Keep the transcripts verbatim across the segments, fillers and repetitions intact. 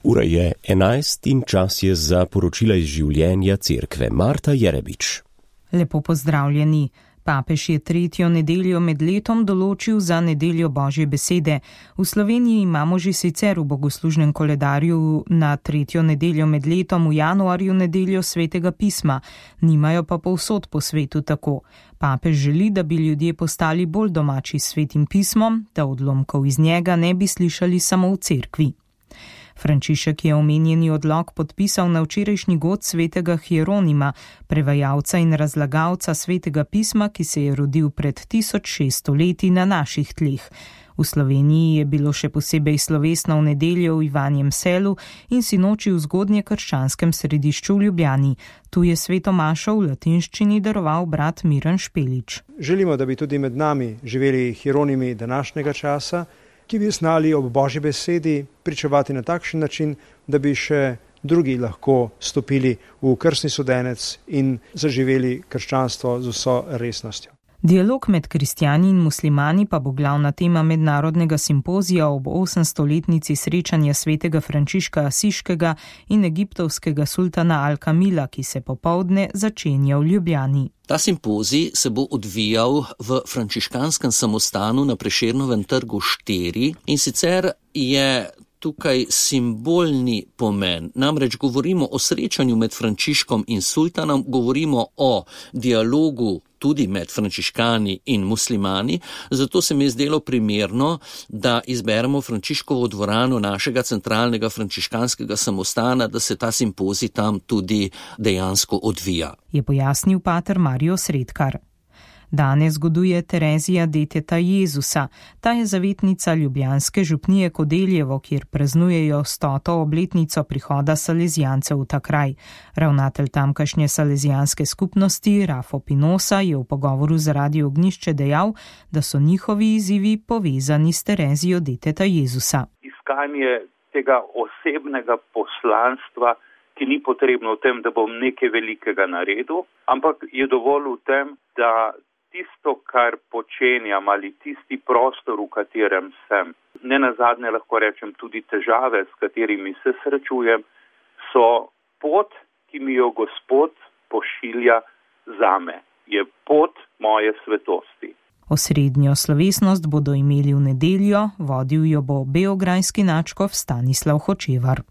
Ura je enajst in čas je za poročila iz življenja cerkve. Marta Jerebič. Lepo pozdravljeni. Papež je tretjo nedeljo med letom določil za nedeljo Božje besede. V Sloveniji imamo že sicer v bogoslužnem koledarju na tretjo nedeljo med letom v januarju nedeljo svetega pisma, nimajo pa povsod po svetu tako. Papež želi, da bi ljudje postali bolj domači s svetim pismom, da odlomkov iz njega ne bi slišali samo v cerkvi. Frančišek je omenjeni odlok podpisal na včerajšnji god svetega Hieronima, prevajalca in razlagalca svetega pisma, ki se je rodil pred tisoč šeststo leti na naših tleh. V Sloveniji je bilo še posebej slovesno v nedeljo v Ivanjem Selu in sinoči v zgodnjekrščanskem središču v Ljubljani. Tu je sveto mašo v latinščini daroval brat Miran Špelič. Želimo, da bi tudi med nami živeli Hieronimi današnjega časa, ki bi znali ob Božji besedi pričevati na takšen način, da bi še drugi lahko stopili v krstni sodenec in zaživeli krščanstvo z vso resnostjo. Dialog med kristjani in muslimani pa bo glavna tema mednarodnega simpozija ob osemstoletnici srečanja svetega Frančiška Asiškega in egiptovskega sultana Al-Kamila, ki se popoldne začenja v Ljubljani. Ta simpozij se bo odvijal v frančiškanskem samostanu na Prešernovem trgu štiri in sicer je tukaj simbolni pomen. Namreč govorimo o srečanju med Frančiškom in sultanom, govorimo o dialogu tudi med frančiškani in muslimani, zato se mi je zdelo primerno, da izberemo Frančiškovo dvorano našega centralnega frančiškanskega samostana, da se ta simpozij tam tudi dejansko odvija. Je pojasnil pater Mario Sredkar. Danes goduje Terezija deteta Jezusa. Ta je zavetnica ljubljanske župnije Kodeljevo, kjer praznujejo stoto obletnico prihoda salezijancev v ta kraj. Ravnatelj tamkajšnje salezijanske skupnosti Rafo Pinosa je v pogovoru z Radio Ognjišče dejal, da so njihovi izzivi povezani s Terezijo deteta Jezusa. Iskanje tega osebnega poslanstva, ki ni potrebno v tem, da bom nekaj velikega naredil, ampak je dovolj v tem, da tisto, kar počenjam ali tisti prostor, v katerem sem, ne nazadnje lahko rečem tudi težave, s katerimi se srečujem, so pot, ki mi jo Gospod pošilja zame. Je pot moje svetosti. Osrednjo slovesnost bodo imeli v nedeljo, vodil jo bo beograjski nadškof Stanislav Hočevar.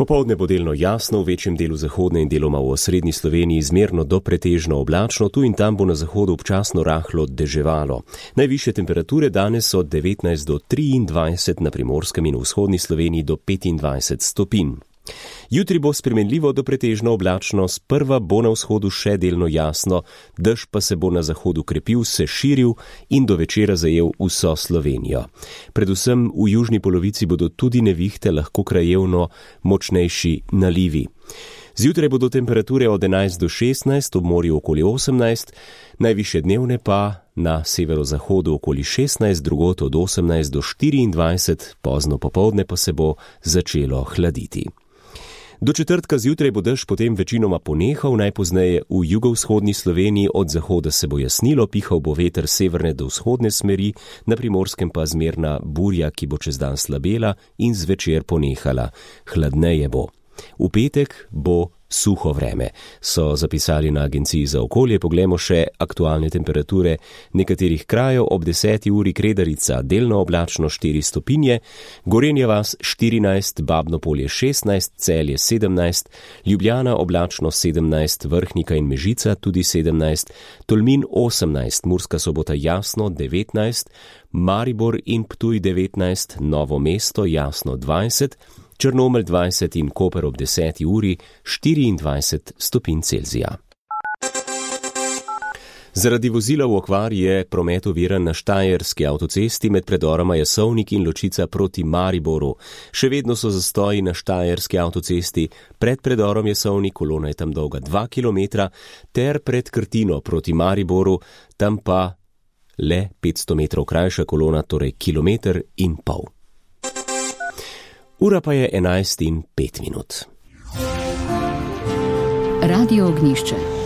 Popoldne bo delno jasno, v večjem delu zahodne in deloma v osrednji Sloveniji zmerno do pretežno oblačno, tu in tam bo na zahodu občasno rahlo deževalo. Najvišje temperature danes od devetnajst do triindvajset, na Primorskem in v vzhodni Sloveniji do petindvajset stopinj. Jutri bo spremenljivo do pretežno oblačno, sprva bo na vzhodu še delno jasno, dež pa se bo na zahodu krepil, se širil in do večera zajel vso Slovenijo. Predvsem v južni polovici bodo tudi nevihte, lahko krajevno močnejši nalivi. Zjutraj bodo temperature od enajst do šestnajst, ob morju okoli osemnajst, najvišje dnevne pa na severozahodu okoli šestnajst, drugod od osemnajst do štiriindvajset, pozno popoldne pa se bo začelo hladiti. Do četrtka zjutraj bo dež potem večinoma ponehal, najpozneje v jugovzhodni Sloveniji, od zahoda se bo jasnilo, pihal bo veter severne do vzhodne smeri, na Primorskem pa zmerna burja, ki bo čez dan slabela in zvečer ponehala. Hladneje bo. V petek bo suho vreme, so zapisali na Agenciji za okolje. Poglejmo še aktualne temperature nekaterih krajev. Ob deseti uri Kredarica delno oblačno štiri stopinje, Gorenja vas štirinajst, Babno Polje šestnajst, Celje sedemnajst, Ljubljana oblačno sedemnajst, Vrhnika in Mežica tudi sedemnajst, Tolmin osemnajst, Murska Sobota jasno devetnajst, Maribor in Ptuj devetnajst, Novo mesto jasno dvajset, Črnomelj dvajset in Koper ob deseti uri štiriindvajset stopinj Celzija. Zaradi vozila v okvar je promet oviran na Štajerski avtocesti med predoroma Jasovnik in Ločica proti Mariboru. Še vedno so zastoji na Štajerski avtocesti, pred predorom Jasovnik, kolona je tam dolga dva kilometra, ter pred Krtino proti Mariboru, tam pa le petsto metrov krajša kolona, torej kilometer in pol. Ura pa je enajst in pet minut. Radio Ognjišče.